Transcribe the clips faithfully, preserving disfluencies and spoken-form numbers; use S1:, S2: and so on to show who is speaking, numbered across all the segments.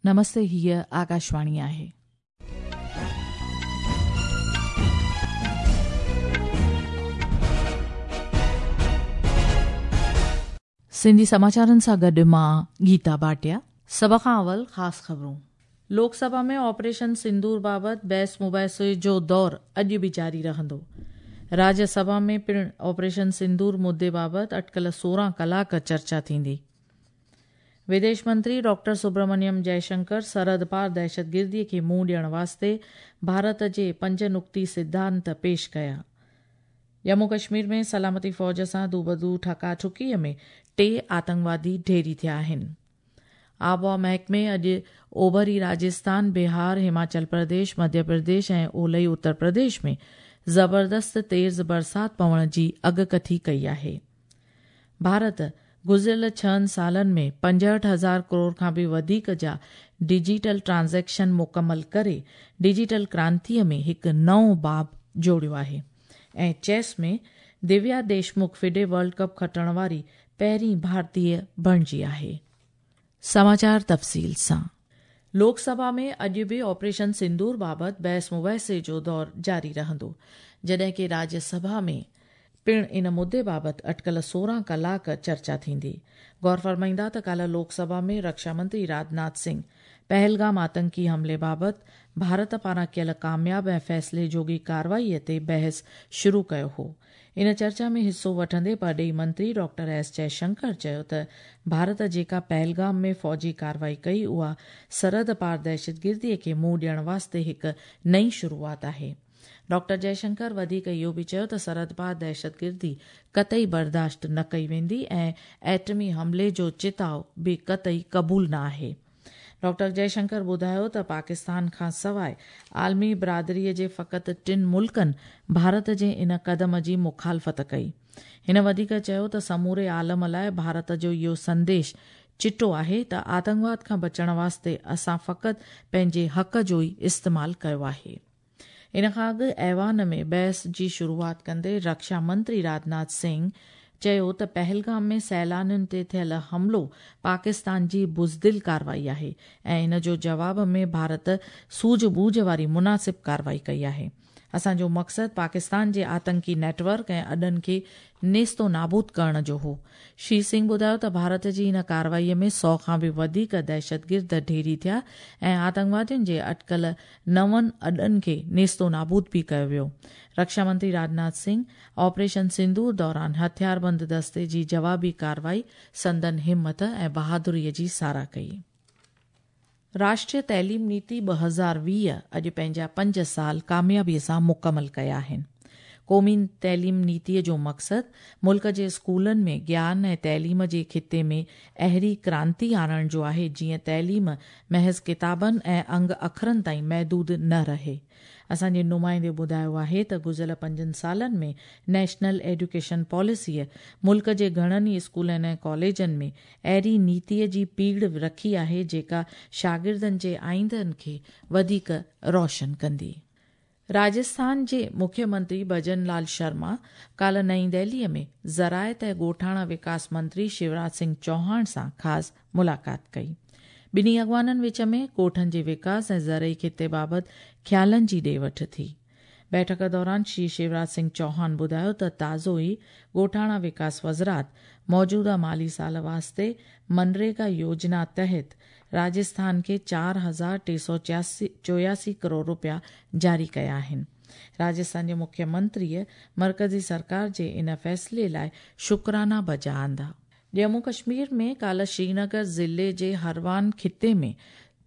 S1: नमस्ते, हीअ आकाशवाणी आहे। सिंधी समाचारनि सां गॾु मां गीता भाटिया। सभ खां अवल ख़ासि ख़बरूं। लोकसभा में ऑपरेशन सिंदूर बाबति बहस मुबाहिसे जो दौर अॼु बि जारी रहंदो। राज्यसभा में पिणु ऑपरेशन सिंदूर मुद्दे बाबति अटकल सोरहं कलाक चर्चा थींदी। विदेश मंत्री डॉक्टर सुब्रमण्यम जयशंकर सरहद पार दहशतगिर्दीअ खे मुंहुं ॾियण वास्ते भारत जे पंज नुक्ती सिद्धांत पेश कया। जम्मू कश्मीर में सलामती फ़ौज सां दूबदू ठकाठुकीअ में टे आतंकवादी ढेरी थिया आहिनि। आबहावा महकमे अॼु ओभरी राजस्थान, बिहार, हिमाचल प्रदेश, मध्य प्रदेश ऐं ओलई उत्तर प्रदेश में ज़बरदस्त तेज़ बरसात पवण जी अॻकथी कई आहे। भारत गुज़िरियल छहनि सालनि में पंजहठि हज़ार करोड़ खां बि वधीक जा डिजिटल ट्रांज़ैक्शन मुकमल करे डिजिटल क्रांतीअ में हिकु नओं बाब जोड़ियो आहे। ऐं चेस में Divya Deshmukh FIDE world cup खटण वारी पहिरीं भारतीय बणिजी आहे। समाचार तफ़सील सां। लोकसभा में अॼु बि ऑपरेशन सिंदूर बाबति बहस मुबाहिसे जो दौर जारी रहंदो, जॾहिं की राज्यसभा में पिणु इन मुद्दे बाबति अटकल सोरहं कलाक चर्चा थींदी। गौर फरमाईंदा त काल्ह लोकसभा में रक्षा मंत्री राजनाथ सिंह पहलगाम आतंकी हमले बाबति भारत पारां कयल कामयाब ऐं फ़ैसिले जोगी कार्रवाईअ ते बहस शुरू कयो हो। इन चर्चा में हिसो वठंदे परॾेही मंत्री डॉक्टर एस जयशंकर चयो त भारत जेका पहलगाम में फ़ौजी कार्रवाई कई उहा सरहद पार दहशतगिर्दीअ खे मुंहुं ॾियण वास्ते हिकु नई शुरूआत आहे। डॉक्टर जयशंकर वधीक इहो बि चयो त सरहद पार दहशतगिर्दी कतई बर्दाश्त न कई वेंदी ऐं एटमी हमले जो चिताव बि कतई क़बूल न आहे। डॉक्टर जयशंकर ॿुधायो त पाकिस्तान खां सवाइ आलमी बिरादरीअ जे फ़क़ति टिनि मुल्कनि भारत जे इन क़दम जी मुखालफ़त कई। हिन वधीक चयो त समूरे आलम लाइ भारत जो इहो संदेश चिटो आहे त आतंकवाद खां बचण वास्ते असां फ़क़ति पंहिंजे हक़ जो ई इस्तेमालु कयो आहे। इन खां अॻु ऐवान में बहस जी शुरूआत कंदे रक्षा मंत्री राजनाथ सिंह चयो त पहलगाम में सैलानियुनि ते थियल हमलो पाकिस्तान जी बुज़दिल कार्रवाई आहे ऐं इन जो जवाब में भारत सूझ-बूझ वारी मुनासिब कार्रवाई कई आहे। असांजो मक़सदु पाकिस्तान जे आतंकी नेटवर्क ऐं अॾनि खे नेस्तो नाबूद करण जो हो। श्री सिंह ॿुधायो त भारत जी इन कार्रवाईअ में सौ खां बि वधीक दहशतगिर्द ढेरी थिया ऐं आतंकवादियुनि जे अटकल नवनि अॾनि खे नेस्तो नाबूद बि कयो वियो। रक्षा मंत्री राजनाथ सिंह ऑपरेशन सिंदूर दौरान हथियारबंद दस्ते जी जवाबी कार्रवाई संदन हिमत ऐं बहादुरीअ जी सराह कई। राष्ट्रीय तइलीम नीति ॿ हज़ार वीह अॼु पंहिंजा पंज साल कामयाबीअ सां मुकमल कया आहिनि। क़ौमी तइलीम नीतीअ जो मक़सदु मुल्क जे स्कूलनि में ज्ञान ऐं तइलीम जे ख़िते में अहिड़ी क्रांति आणण जो आहे जीअं तइलीम महज़ किताबनि ऐं अंग अखरनि ताईं महदूद न रहे। असांजे नुमाइंदे ॿुधायो आहे त गुज़िरियल पंजनि सालनि में नेशनल एजुकेशन पॉलिसीअ मुल्क जे घणनि ई स्कूलनि ऐं कॉलेजनि में अहिड़ी नीतीअ जी पीड़ रखी आहे जेका शागिर्दनि जे आईंदनि खे वधीक रोशन कंदी। राजस्थान जे मुख्यमंत्री भजन लाल शर्मा काल्ह नई दिल्लीअ में ज़राइत ऐं ॻोठाणा विकास मंत्री शिवराज सिंह चौहान सां ख़ासि मुलाक़ात कई। ॿिन्ही अॻवाननि विच में ॻोठनि जे विकास ऐं ज़रई ख़िते बाबति ख़्यालनि जी ॾे वठ थी। बैठक दौरान श्री शिवराज सिंह चौहान ॿुधायो त ताज़ो ई ॻोठाणा विकास वज़रात मौजूदा माली साल वास्ते मनरेगा योजना तहत राजस्थान खे चार हज़ार टे सौ चोयासी करोड़ रुपया जारी कया आहिनि। राजस्थान जे मुख्यमंत्रीअ मर्कज़ी सरकार जे इन फ़ैसिले लाइ शुक्राना बजा आंदा। जम्मू कश्मीर में काल्ह श्रीनगर ज़िले जे हरवान ख़िते में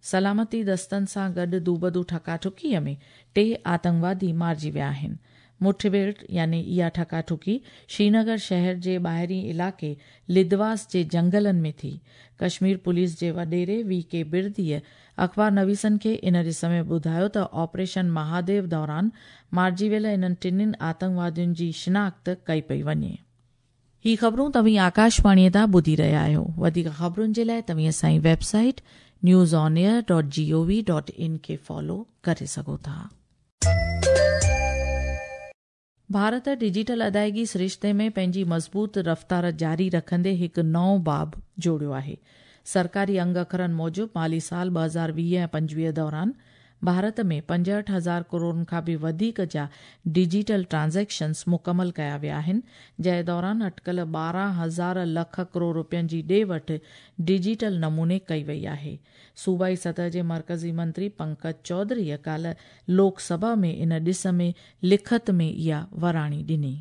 S1: सलामती दस्तनि सां गॾु दूबदू ठकाठुकीअ में टे आतंकवादी मारिजी विया आहिनि। मुठभेड़ यानी इहा ठकाठुकी श्रीनगर शहर जे ॿाहिरीं इलाइक़े लिदवास जे जंगलनि में थी। कश्मीर पुलिस जे वॾेरे वी के बिरदीअ अख़बार नवीसनि खे इन ॾिस में ॿुधायो त ऑपरेशन महादेव दौरान मारिजी वियल इन्हनि टिनिनि आतंकवादियुनि जी शिनाख़्त कई पई वञे। ही ख़बरूं तव्हीं आकाशवाणीअ तां ॿुधी रहिया आहियो। वधीक ख़बरुनि जे लाइ तव्हीं असांजी website news on air dot G O V dot in खे फॉलो करे सघो था। भारत डिजिटल अदायगी सरिश्ते में पंहिंजी मज़बूत रफ़्तार जारी रखंदे हिकु नओं बाब जोड़ियो आहे। सरकारी अंग अखरनि मूजिबि माली साल ॿ हज़ार वीह ऐं पंजवीह दौरान भारत में पंजहठि हज़ार करोड़ खां बि वधीक जा डिजिटल ट्रांज़ैक्शन्स मुकमल कया विया आहिनि, जंहिं दौरान अटकल ॿारहं हज़ार लख करोड़ रुपयनि जी ॾे वठि डिजिटल नमूने कई वई आहे। सूबाई सतह जे मर्कज़ी मंत्री पंकज चौधरीअ काल्ह लोकसभा में इन ॾिस में लिखत में इहा वराणी ॾिनी।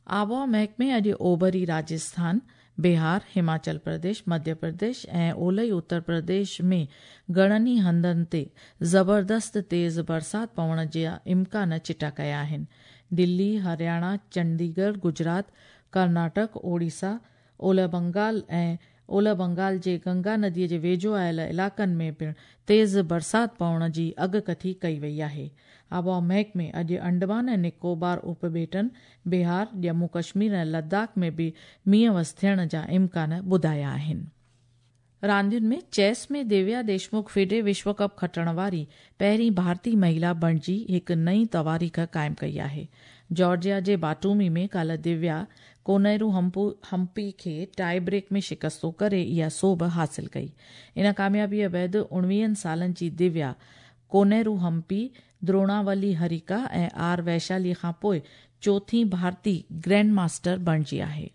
S1: आबहावा महकमे अॼु ओभरी राजस्थान, बिहार, हिमाचल प्रदेश, मध्य प्रदेश ऐं ओलही उत्तर प्रदेश में घणनि ई हंधनि ते ज़बरदस्त तेज़ बरसाति पवण जा इम्कान चिटा कया आहिनि। दिल्ली, हरियाणा, चंडीगढ़, गुजरात, कर्नाटक, ओडिशा, ओलह बंगाल ऐं ओलह बंगाल जे गंगा नदीअ जे वेझो आयल इलाइक़नि में पिणु तेज़ बरसाति पवण जी अॻकथी कई वई आहे। आबहावा महकमे अॼु अंडमान ऐं निकोबार उपॿेटनि, बिहार, जम्मू कश्मीर ऐं लद्दाख में बि मींहुं वस थियण जा इम्कान ॿुधाया आहिनि। रांदियुनि में चेस में दिव्या देशमुख फिडे विश्व कप खटण वारी पहिरीं भारतीय महिला बणिजी हिकु नई तवारीख़ क़ाइमु कई आहे। जॉर्जिया जे बाटूमी में काल्ह दिव्या कोनेरू हम्पी खे टाई ब्रेक में शिकस्तो करे इहा सोभ हासिल कई। इन कामयाबीअ बाद उणिवीहनि सालनि जी दिव्या कोनेरू हम्पी, द्रोणावली हरिका ऐं are Vaishali खां पोइ चोथी भारतीय ग्रैंड मास्टर बणिजी आहे।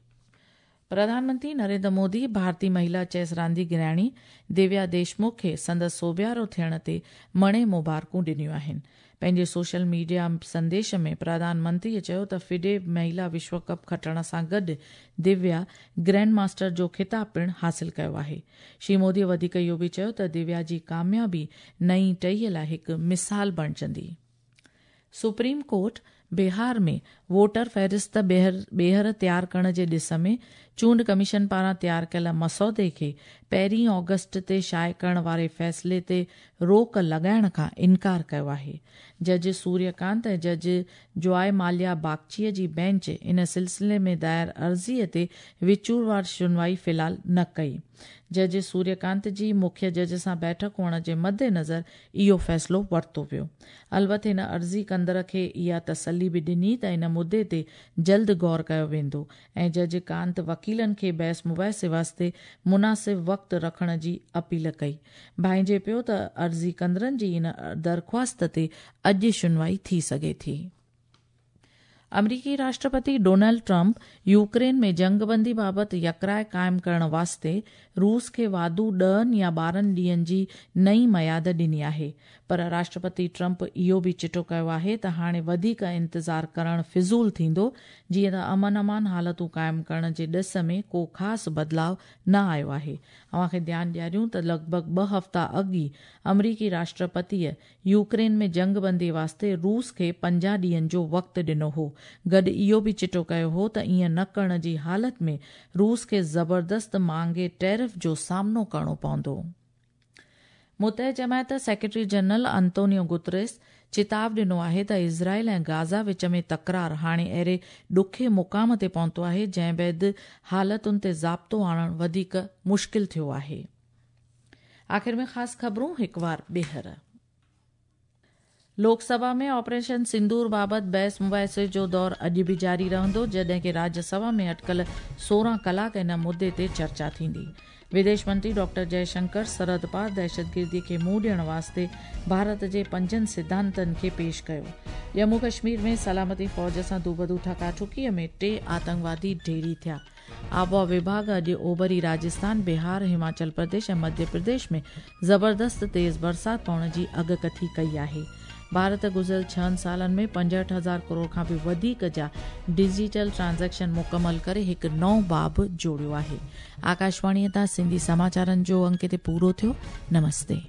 S1: प्रधानमंत्री नरेंद्र मोदी भारतीय महिला चेस रांदीगराणी दिव्या देशमुख खे संदसि सोभियारो थियण ते मणे मुबारकूं ॾिनियूं आहिनि। पंहिंजे सोशल मीडिया संदेश में प्रधानमंत्रीअ चयो त फिडे महिला विश्व कप खटण सां गॾु दिव्या ग्रैंड मास्टर जो ख़िताब पिणु हासिल कयो आहे। श्री मोदीअ वधीक इहो बि चयो त दिव्या जी कामयाबी नई टहीअ लाइ हिकु मिसाल बणिजंदी। सुप्रीम कोर्ट बिहार में वोटर फ़हरिस्त ॿीहर तयारु करण जे ॾिस में चूंड कमीशन पारां तयारु कयल मसौदे खे पहिरीं ऑगस्ट ते शाये करण वारे फ़ैसिले ते रोक लॻाइण खां इनकार कयो आहे। जज सूर्यकांत ऐं जज जॉय माल्या बागचीअ जी बेंच इन सिलसिले में दायर अर्ज़ीअ ते विचूरवार सुनवाई फ़िलहाल न कई। जज सूर्यकांत जी मुख्य जज सां बैठक हुअण जे मद्देनज़र इहो फ़ैसिलो वरितो वियो। अलबत हिन अर्ज़ी कंदड़ खे इहा तसली बि ॾिनी त इन मुद्दे ते जल्द गौर कयो वेंदो ऐं जज कांत वकीलनि खे बहस मुबाहिसे वास्ते मुनासिब वक़्तु रखण जी अपील कई। भाइजे पियो त अर्ज़ी कंदड़नि जी इन दरख़्वास्त ते अॼु सुनवाई थी सघे थी। अमरीकी राष्ट्रपति डोनाल्ड ट्रंप यूक्रेन में जंगबंदी बाबति यकराय क़ाइमु करण वास्ते रूस खे वाधू ॾहनि या ॿारहनि ॾींहनि जी नई मयाद ॾिनी आहे, पर राष्ट्रपति ट्रंप इहो बि चिटो कयो आहे त हाणे वधीक इंतज़ार करण फिज़ूल थींदो, जीअं त अमन अमान हालतूं क़ाइमु करण जे ॾिस में को ख़ासि बदिलाव न आयो आहे। अव्हां खे ध्यानु ॾियारियूं त लॻभॻि ॿ हफ़्ता अॻु ई अमरीकी राष्ट्रपतीअ यूक्रेन में जंगबंदी वास्ते रूस खे पंजाह ॾींहनि जो वक़्तु ॾिनो हो। गॾु इहो बि चिटो कयो हो त ईअं न करण जी हालत में रूस खे ज़बरदस्त महांगे टैरिफ जो सामनो करणो पवंदो। मुतह जमायत सेक्रेटरी जनरल अंतोनियो गुतरेस चेताव ॾिनो आहे त इज़राइल ऐं गाज़ा विच में तकरार हाणे अहिड़े ॾुखे मुक़ाम ते पहुतो आहे जंहिं बाद हालतुनि ते ज़ाब्तो आणणु वधीक मुश्किल थियो आहे। आख़िर में ख़ासि ख़बरूं हिकु वार ॿीहर। लोकसभा में ऑपरेशन सिंदूर बाबति बहस मुबाहिसे जो दौर अॼु बि जारी रहंदो, जॾहिं की राज्यसभा में अटकल सोरहं कलाक इन मुद्दे ते चर्चा थींदी। विदेश मंत्री डॉक्टर जयशंकर सरहद पार दहशतगिर्दी खे मुंहुं ॾियण वास्ते भारत जे पंजनि सिद्धांतनि खे पेश कयो। जम्मू कश्मीर में सलामती फ़ौज सां दूबदू ठकाठुकीअ में टे आतंकवादी ढेरी थिया। आबहावा विभाग अॼु ओभरी राजस्थान, बिहार, हिमाचल प्रदेश ऐं मध्य प्रदेश में ज़बरदस्त तेज़ बरसाति पवण जी अॻकथी कई आहे। भारत गुज़िरियल छहनि सालनि में पंजहठि हज़ार करोड़ खां बि वधीक जा डिजिटल ट्रांज़ैक्शन मुकमल करे हिकु नओं बाब जोड़ियो आहे। आकाशवाणीअ तां सिंधी समाचारनि जो अंक हिते पूरो थियो। नमस्ते।